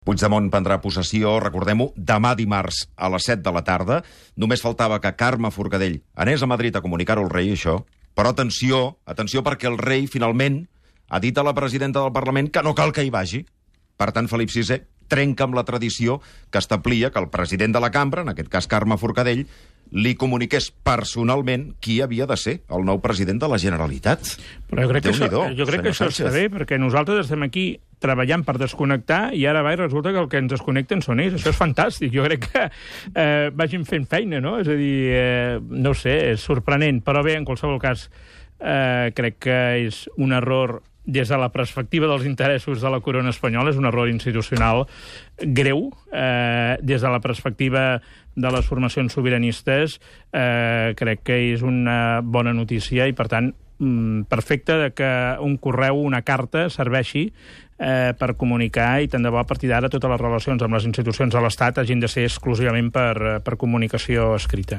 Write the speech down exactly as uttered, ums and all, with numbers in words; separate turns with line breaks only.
Puigdemont prendrà possessió, recordem-ho, demà dimarts a les set de la tarda. Només faltava que Carme Forcadell anés a Madrid a comunicar-ho al rei, això. Però atenció, atenció, perquè el rei finalment ha dit a la presidenta del Parlament que no cal que hi vagi. Per tant, Felip sisè trenca amb la tradició que establia que el president de la cambra, en aquest cas Carme Forcadell, li comuniqués personalment qui havia de ser el nou president de la Generalitat.
Però jo crec que això, jo crec que això està bé, perquè nosaltres estem aquí treballant per desconnectar i ara va i resulta que el que ens desconnecten són ells. Això és fantàstic. Jo crec que eh, vagin fent feina, no? És a dir, eh, no ho sé, és sorprenent. Però bé, en qualsevol cas, eh, crec que és un error des de la perspectiva dels interessos de la corona espanyola, és un error institucional greu. Eh, des de la perspectiva de les formacions sobiranistes, eh, crec que és una bona notícia i, per tant, perfecte de que un correu, una carta, serveixi eh, per comunicar, i tant de bo a partir d'ara totes les relacions amb les institucions de l'Estat hagin de ser exclusivament per, per comunicació escrita.